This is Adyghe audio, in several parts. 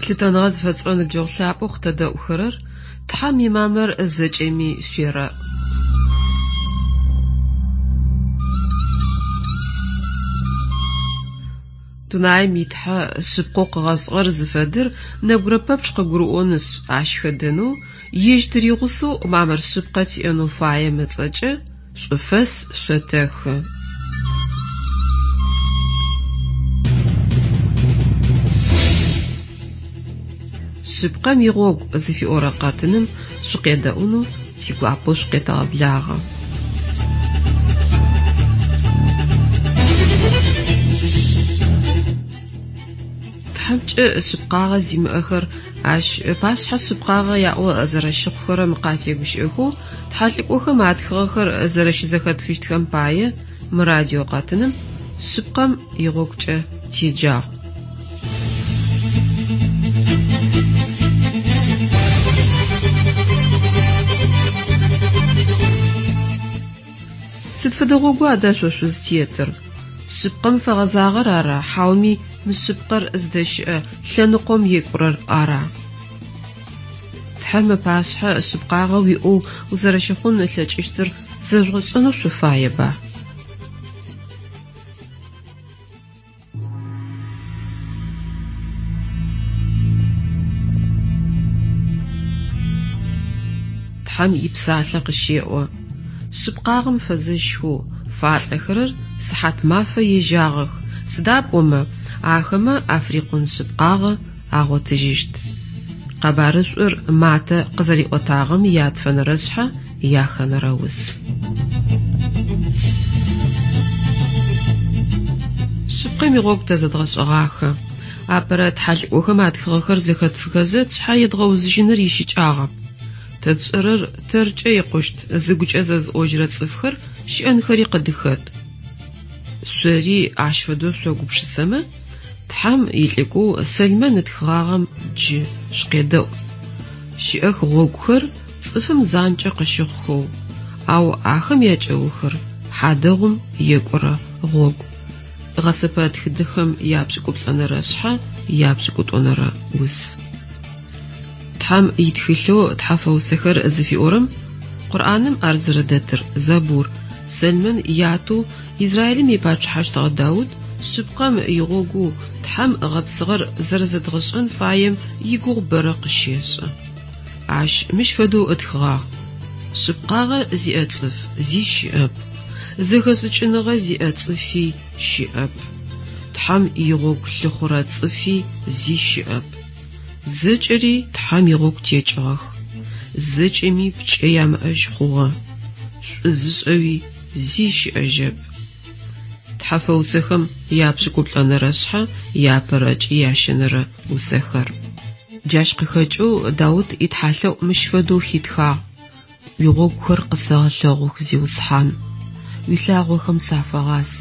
Лъытэныгъэ зыфэтшӏырэ ныбджэгъу лъапӏэу къытэдэӏухэрэр, Тхьэм имамыр зэкӏэми шъуерэӏ. Дунаим и Тхьэ шъыпкъэу къыгъэшӏыгъэр зыфэдэр нэбгырэ пэпчъ къыгурыӏонышъ, ащ хэдэнэу, ежь тыригъусэу мамыр шъыпкъэ тиӏэнэу фаем ыцӏэкӏэ шӏуфэс шъотэхы. Шъыпкъэм игъогу зыфиӏорэ къэтыным шъукъедэӏунэу тигуапэу шъукъетэгъэблагъэ. Тхьэмкӏэ шъыпкъагъэ зимыӏэхэр ащ ыпашъхьэ шъыпкъагъэ яӏэу зэрэщыхъухэрэм къатегущыӏэхэу тхьэлӏыкӏохэм атхыгъэхэр зэрэщызэхэтфыщтхэм пае мы радио къэтыным шъыпкъэм игъогукӏэ теджагъ. Сыд фэдэ гъогу ада шъо шъузтетыр? Шъыпкъэм фэгъэзагъэр ара, хьауми мышъыпкъэр зыдэщыӏэ лъэныкъом екӏурэр ара? Тхьэм ыпашъхьэ шъыпкъагъэ уиӏэу узэрэщыхъун ылъэкӏыщтыр зэжъугъэшӏэнэу шъуфаеба? Тхьэм ипсалъэ къыщеӏо, Шъыпкъагъэм фэзэщхэу фалӏэхэрэр сыхьат мафэ ежьагъэх, сыда пӏомэ ахэмэ африкъун шъыпкъагъэ агъотыжьыщт. Къэбарышӏур Матэ къызэриӏотагъэм ятфэнэрэ шъхьэ яхэнэрэ ус. Шъыпкъэм игъогу тэ зэдгъэшӏэгъахэ. Апэрэ тхьэлӏыкӏохэм атхыгъэхэр зэхэтфыхэзэ тшъхьэ едгъэузыжьыныр ищыкӏагъэп. Тэ тшӏэрэр тэркӏэ икъущт, зыгукӏэ зэзыӏожьырэ цӏыфхэр щыӏэнхэри къыдыхэт. Шъори ащ фэдэу шъогупшысэмэ, Тхьэм илӏыкӏоу Сэлмэн ытхыгъагъэм джы шъукъедэӏу. Щыӏэх гъогухэр цӏыфым занкӏэ къыщыхъухэу, ау ахэм якӏэухыр хьадэгъум екӏурэ гъогу. Гъэсэпэ тхыдэхэм япшӏыкӏуплӏэнэрэ шъхьэ япшӏыкӏутӏонэрэ ус. Тхьэм итхылъэу Тхьэфэусэхэр зыфиӏорэм Къурӏаным ар зэрэдэтыр, Забур, Сэлмэн ятэу Израилым ипачъыхьэщтыгъэ Даут шъыпкъэм игъогоу Тхьэм ыгъэпсыгъэр зэрэзэдгъэшӏэн фаем игугъу бэрэ къыщешӏы. Ащ мыщ фэдэу ытхыгъагъ, Шъыпкъагъэ зиӏэ цӏыф зи щыӏэп, зэхэшӏыкӏыныгъэ зиӏэ цӏыфи щыӏэп, Тхьэм игъогу лъыхъурэ цӏыфи зи щыӏэп. Зэкӏэри Тхьэм игъогу текӏыгъэх, зэкӏэми пкӏэ ямыӏэжь хъугъэ, шӏу зышӏэуи зи щыӏэжьэп. Тхьэфэусэхэм япшӏыкӏуплӏэнэрэ шъхьэ иапэрэ ыкӏи ящэнэрэ усэхэр. Джащ къыхэкӏэу Даут итхьалъэӏу мыщ фэдэу хитхагъ, Уигъогухэр къысэгъэлъэгъух, Зиусхьан, уилъагъохэм сафэгъас,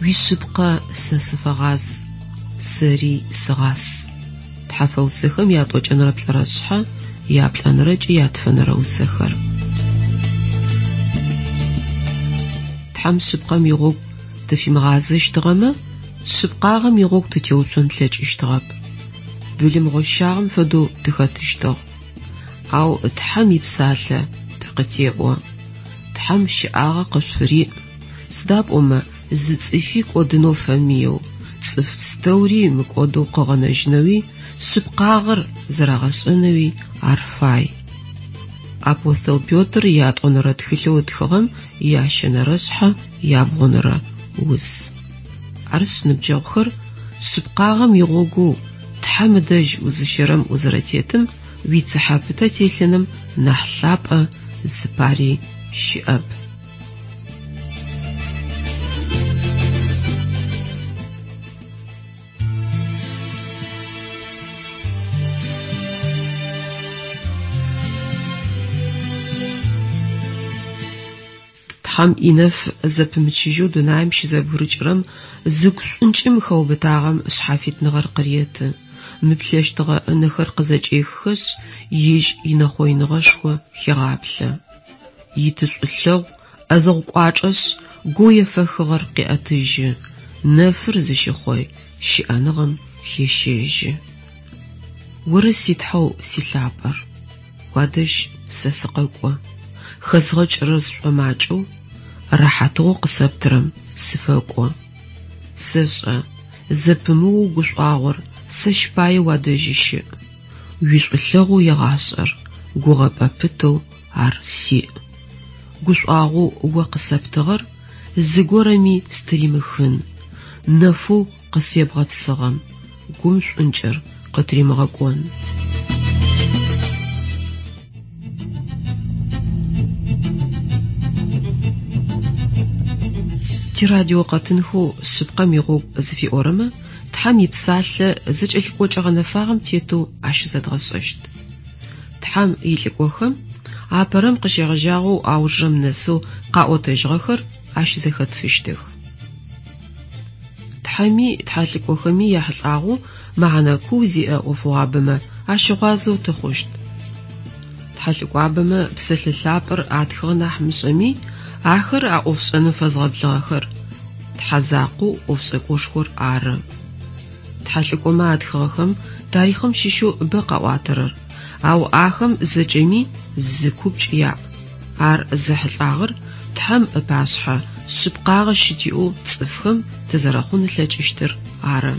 уишъыпкъэ сэ сыфэгъаз, сэри сыгъас. Тхьэфэусэхэм ятӏокӏэнэрэ плӏырэ шъхьэ, яплӏэнэрэ ыкӏи ятфэнэрэ усэхэр. Тхьэм шъыпкъэм игъогу тыфимыгъазэщтыгъэмэ, шъыпкъагъэм игъогу тытеуцон тлъэкӏыщтыгъэп. Былым гъощагъэм фэдэу тыхэтыщтыгъ. Ау Тхьэм ипсалъэ тэ къытеӏо. Тхьэм щыӏагъэ къышъуфыриӏ, сыда пӏомэ зы цӏыфи кӏодынэу фэмыеу, цӏыф пстэури мыкӏодэу къыгъэнэжьынэуи, шъыпкъагъэр зэрагъэшӏэнэуи ар фай. Апостол Петр ятӏонэрэ тхылъэу ытхыгъэм ящэнэрэ шъхьэ ябгъонэрэ ус. Арышъ, ныбджэгъухэр, шъыпкъагъэм игъогоу Тхьэм ыдэжь узыщэрэм узэрэтетым уицыхьэ пытэ телъыным нахь лъапӏэ зыпари щыӏэп. Тхьэм инэф зэпымычыжьэу дунаим щызэбгырыкӏырэм зыгу шӏункӏым хэубытагъэм шъхьафитныгъэр къыреты, мыплъэщтыгъэ ынэхэр къызэкӏеххэшъ, ежь инэхъоиныгъэшхо хегъаплъэ. Итышӏулъэгъу ӏэзэгъу кӏуачӏэшъ, гоу ефэхыгъэр къеӏэтыжьы, нэфыр зыщыхъой щыӏэныгъэм хещэжьы. Оры си Тхьэу силъапӏэр, уадэжь сэ сыкъэкӏо, хэзгъэкӏырэр сшӏомакӏэу, рэхьатыгъоу къысэптырэм сыфэкӏо. Сэшӏэ, зэпымыоу гушӏуагъор сэщ пае уадэжьы щыӏ, уишӏулъэгъоу егъашӏэр гугъэпӏэ пытэу ар сиӏ. Гушӏуагъоу о къысэптыгъэр зыгорэми стыримыхын, нэфэу къысфебгъэпсыгъэм гум шӏункӏыр къытыримыгъэкӏон. Тирадиокъэтынхэу Шъыпкъэм игъогу зыфиӏорэмэ Тхьэм и Псалъэ зэкӏэлъыкӏокӏэ гъэнэфагъэм тетэу ащызэдгъэшӏэщт. Тхьэм илӏыкӏохэм апэрэм къыщегъэжьагъэу аужырэм нэсэу къаӏотэжьыгъэхэр ащызэхэтфыщтых. Тхьэми тхьэлӏыкӏохэми яхьылӏагъэу мэхьэнэ куу зиӏэ ӏофыгъуабэмэ ащыгъуазэу тыхъущт. Тхьэлӏыкӏуабэмэ псэлъэ лъапӏэр атхыгъэ нахь мышӏэми, ахэр а ӏофшӏэным фэзгъэблыгъэхэр Тхьэ закъоу ӏофшӏэкӏошхор ары. Тхьэлӏыкӏомэ атхыгъэхэм тарихъым щыщэу бэ къаӏуатэрэр, ау ахэм зэкӏэми зы купкӏ яӏ. Ар зэхьылӏагъэр Тхьэм ыпашъхьэ шъыпкъагъэ щытиӏэу цӏыфхэм тызэрэхъун ылъэкӏыщтыр ары.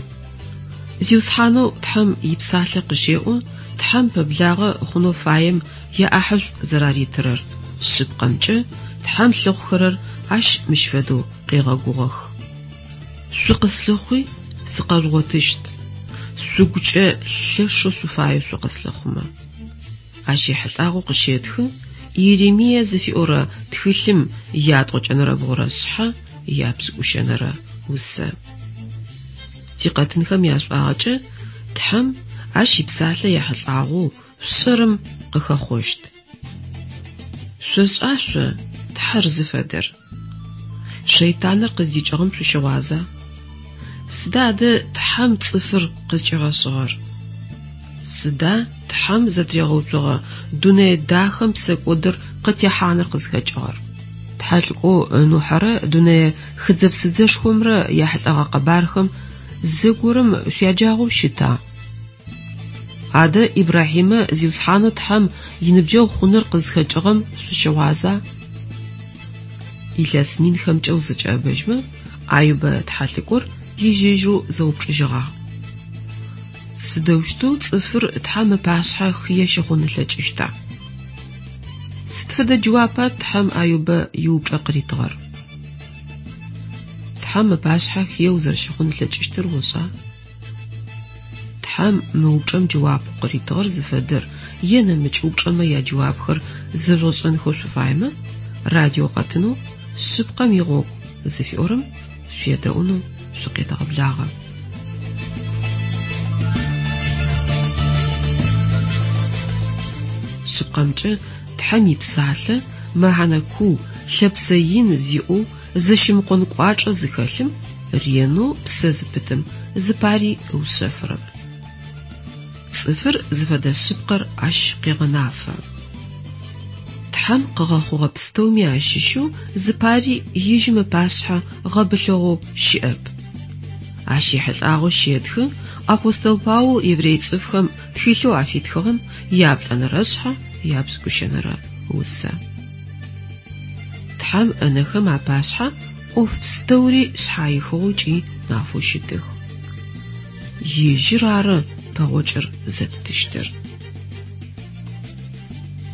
Зиусхьанэу Тхьэм ипсалъэ къыщеӏо Тхьэм пэблагъэ хъунэу фаем яӏахьышӏу зэраритырэр, шъыпкъэмкӏэ Тхьэм лъыхъухэрэр ащ мыщ фэдэу къегъэгугъэх. Шъукъыслъыхъуи, сыкъэжъугъотыщт, шъугукӏэ лъэшэу шъуфаеу шъукъыслъыхъумэ. Ащ ехьылӏагъэу къыщетхы Иеремие зыфиӏорэ тхылъым ятӏокӏэнэрэ бгъурэ шъхьэ япшӏыкӏущэнэрэ усэ. Тикъэтынхэм яшӏуагъэкӏэ Тхьэм ащ ипсалъэ ехьылӏагъэу шъушӏэрэм къыхэхъощт. Шъошӏа шъо Тхьэр зыфэдэр? Шэйтаныр къыздикӏыгъэм шъущыгъуаза? Сыда адэ Тхьэм цӏыфыр къызкӏигъэшӏыгъэр? Сыда Тхьэм зэтыригъэуцогъэ дунэе дахэм псэкӏодыр къытехьаныр къызхэкӏыгъэр? Тхьэлӏыкӏоу Нухьэрэ дунэе хыдзэ-псыдзэшхомрэ яхьылӏэгъэ къэбархэм зэгорэм шъуяджагъэу щыта? Адэ Ибрахьимэ Зиусхьанэу Тхьэм иныбджэгъу хъуныр къызхэкӏыгъэм шъущыгъуаза? Илъэс минхэмкӏэ узэкӏэӏэбэжьмэ, Аюбэ тхьэлӏыкӏор ежь-ежьырэу зэупчӏыжьыгъагъ. Сыдэущтэу цӏыфыр Тхьэм ыпашъхьэ хые щыхъун ылъэкӏыщта? Сыд фэдэ джэуапа Тхьэм Аюбэ иупчӏэ къыритыгъэр? Тхьэм ыпашъхьэ хые узэрэщыхъун ылъэкӏыщтыр ошӏа? Тхьэм мы упчӏэм джэуапэу къыритыгъэр зыфэдэр е нэмыкӏ упчӏэмэ яджэуапхэр зэжъугъэшӏэнхэу шъуфаемэ, радиокъэтынэу Шъыпкъэм игъогу зыфиӏорэм шъуедэӏунэу шъукъетэгъэблагъэ. Шъыпкъэмкӏэ, Тхьэм ипсалъэ мэхьэнэ куу, лъэпсэ ин зиӏэу зэщымыкъон кӏуачӏэ зыхэлъым ренэу псэ зыпытым зыпари ыушъэфырэп. Цӏыфыр зыфэдэ шъыпкъэр ащ къегъэнафэ. Тхьэм къыгъэхъугъэ пстэуми ащыщэу зыпари ежьым ыпашъхьэ гъэбылъыгъэу щыӏэп. Ащ ехьылӏагъэу щетхы апостол Паул еврей цӏыфхэм тхылъэу афитхыгъэм яплӏэнэрэ шъхьэ япшӏыкӏущэнэрэ усэ. Тхьэм ынэхэм апашъхьэ ӏоф пстэури шъхьаихыгъэу ыкӏи нафэу щытых. Ежьыр ары пэгъокӏыр зэттыщтыр.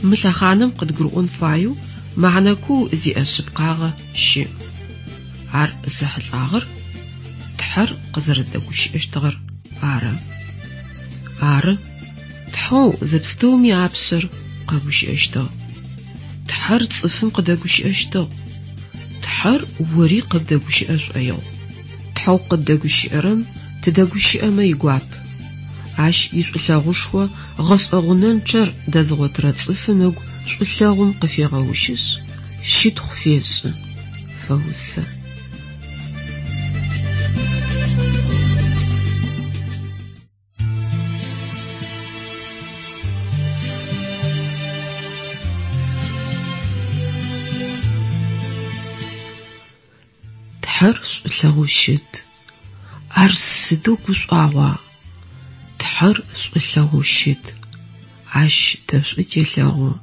Мы лъэхъаным къыдгурыӏон фаеу мэхьэнэ куу зиӏэ шъыпкъагъэ щыӏ. Ар зэхьылӏагъэр Тхьэр къызэрэдэгущыӏэщтыгъэр ары. Ары, Тхьэу зэпстэуми апшъэр къэгущыӏэщтыгъ. Тхьэр цӏыфым къыдэгущыӏэщтыгъ. Тхьэр ори къыбдэгущыӏэ шӏоигъу. Тхьэу къыддэгущыӏэрэм тыдэгущыӏэмэ игуап. Ащ ишӏулъэгъушхо гъэшӏэгъунэнчъэр дэзыгъотырэ цӏыфым ыгу шӏулъэгъум къыфегъэущышъ, щытхъу фешӏы, фэусэ. Тхьэр шӏулъэгъоу щыт. Ар сыдэу гушӏуагъуа! Тхьэр шӏулъэгъоу щыт, Ащ тэ шӏу телъэгъу.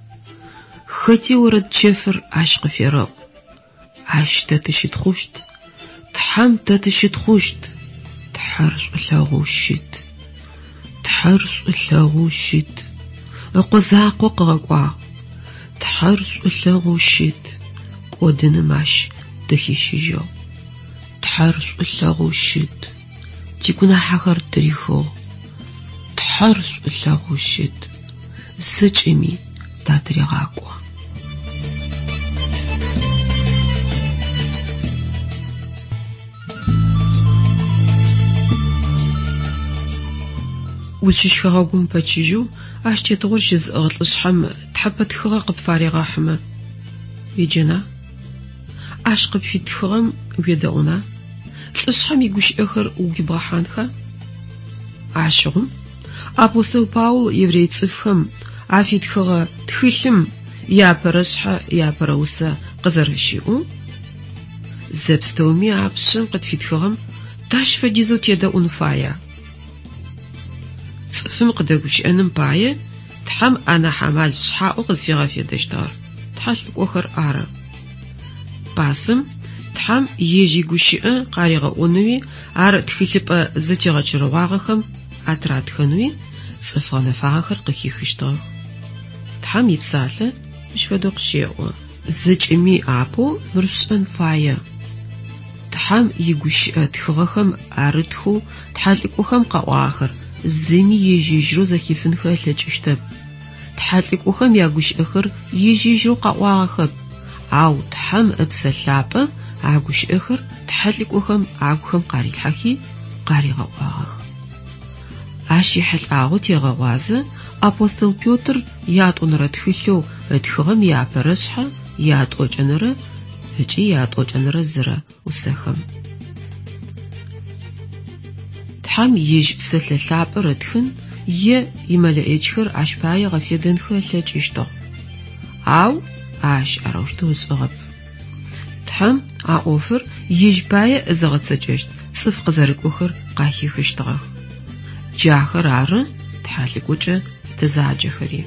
Хэти орэд чэфыр Ащ къыферэӏу. Ащ тэ тыщытхъущт, Тхьэм тэ тыщытхъущт. Тхьэр шӏулъэгъоу щыт. Тхьэр шӏулъэгъоу щыт. Ыкъо закъо къыгъэкӏуагъ. Тхьэр шӏулъэгъоу щыт. Кӏодыным ащ тыхищыжьыгъ. Тхьэр шӏулъэгъоу щыт. Тигунахьэхэр тырихыгъ. Тхьэр шӏулъэгъоу щыт. Зэкӏэми татырегъакӏо. Узщыщ хэгъэгум пэчыжьэу ащ тетыгъор щызыӏыгъ лӏышъхьэм тхьэпэ тхыгъэ къыпфарегъэхьымэ, уеджэна? Ащ къыпфитхыгъэм уедэӏуна? Лӏышъхьэм игущыӏэхэр угу ибгъэхьанха? Ащыгъум апостол Паул еврей цӏыфхэм афитхыгъэ тхылъым иапэрэ шъхьэ иапэрэ усэ къызэрэщиӏоу, зэпстэуми апшъэм къытфитхыгъэм тащ фэдизэу тедэӏун фая? Цӏыфым къыдэгущыӏэным пае Тхьэм анахь амал шъхьаӏэу къызфигъэфедэщтыгъэр тхьэлӏыкӏохэр ары. Пасэм Тхьэм ежь игущыӏэ къаригъэӏонэуи ар тхылъыпӏэ зэтегъэчэрэгъуагъэхэм атыратхэнэуи цӏыф гъэнэфагъэхэр къыхихыщтыгъэх. Тхьэм ипсалъэ мыщ фэдэу къыщеӏо. Зэкӏэми апэу мыр шъушӏэн фае. Тхьэм игущыӏэ тхыгъэхэм арытхэу тхьэлӏыкӏохэм къаӏуагъэхэр зыми ежь-ежьырэу зэхифынхэ ылъэкӏыщтэп. Тхьэлӏыкӏохэм ягущыӏэхэр ежь-ежьырэу къаӏуагъэхэп, ау Тхьэм Ыпсэ Лъапӏэ а гущыӏэхэр тхьэлӏыкӏохэм агухэм къарилъхьэхи, къаригъэӏуагъэх. Ащ ехьылӏагъэу тегъэгъуазэ апостол Петр ятӏонэрэ тхылъэу ытхыгъэм иапэрэ шъхьэ ятӏокӏэнэрэ ыкӏи ятӏокӏэнэрэ зырэ усэхэм. Тхьэм ежь Псэлъэ Лъапӏэр ытхын е имэлэӏичхэр ащ пае ыгъэфедэнхэ ылъэкӏыщтыгъ. Ау ащ арэущтэу ышӏыгъэп. Тхьэм а ӏофыр ежь пае зыгъэцэкӏэщт цӏыф къызэрыкӏохэр къахихыщтыгъэх. Джахэр ары тхьэлӏыкӏокӏэ тызаджэхэри.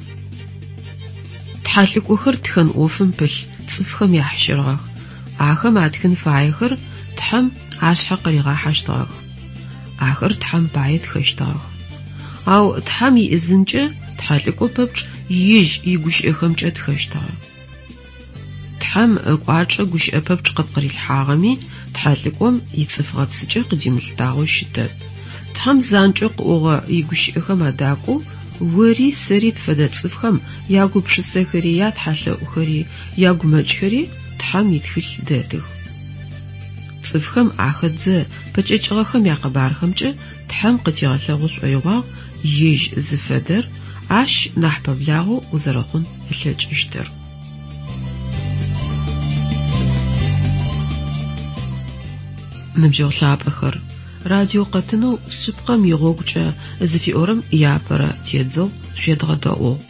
Тхьэлӏыкӏохэр тхэн ӏофым пылъ цӏыфхэм яхьщырыгъэх. Ахэм атхын фаехэр Тхьэм ашъхьэ къыригъахьэщтыгъэх. Ахэр Тхьэм пае тхэщтыгъэх. Ау Тхьэм иӏизынкӏэ тхьэлӏыкӏо пэпчъ ежь игущыӏэхэмкӏэ тхэщтыгъэ. Тхьэм ыкӏуачӏэ гущыӏэ пэпчъ къыпкъырилъхьагъэми, тхьэлӏыкӏом ицӏыф гъэпсыкӏэ къыдимылъытагъэу щытэп. Тхьэм занкӏэу къыӏогъэ игущыӏэхэм адакӏоу ори сэри тфэдэ цӏыфхэм ягупшысэхэри, ятхьэлъэӏухэри, ягумэкӏхэри Тхьэм итхылъ дэтых. Цӏыфхэм ахэтзэ пэкӏэкӏыгъэхэм якъэбархэмкӏэ Тхьэм къытигъэлъэгъу шӏоигъуагъ ежь зыфэдэр, ащ нахь пэблагъэу узэрэхъун ылъэкӏыщтыр. Ныбджэгъу лъапӏэхэр, радиокъэтынэу Шъыпкъэм игъогукӏэ зыфиӏорэм иапэрэ тедзэгъу шъуедгъэдэӏугъ.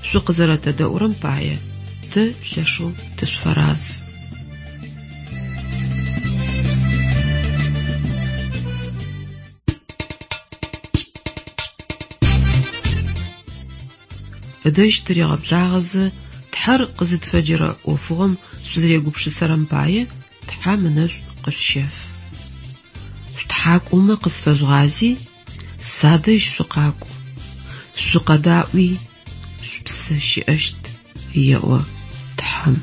Шъукъызэрэтэдэӏурэм пае тэ лъэшэу тышъуфэраз. Ыдэжь тыригъэблагъэзэ, Тхьэр къызытфэджэрэ ӏофыгъом шъузэрегупшысэрэм пае Тхьэм ынэшӏу къышъущеф. Шъутхьакӏумэ къысфэжъугъази, садэжь шъукъакӏу, шъукъэдаӏуи, шъупсэ щыӏэщт, еӏо Тхьэм.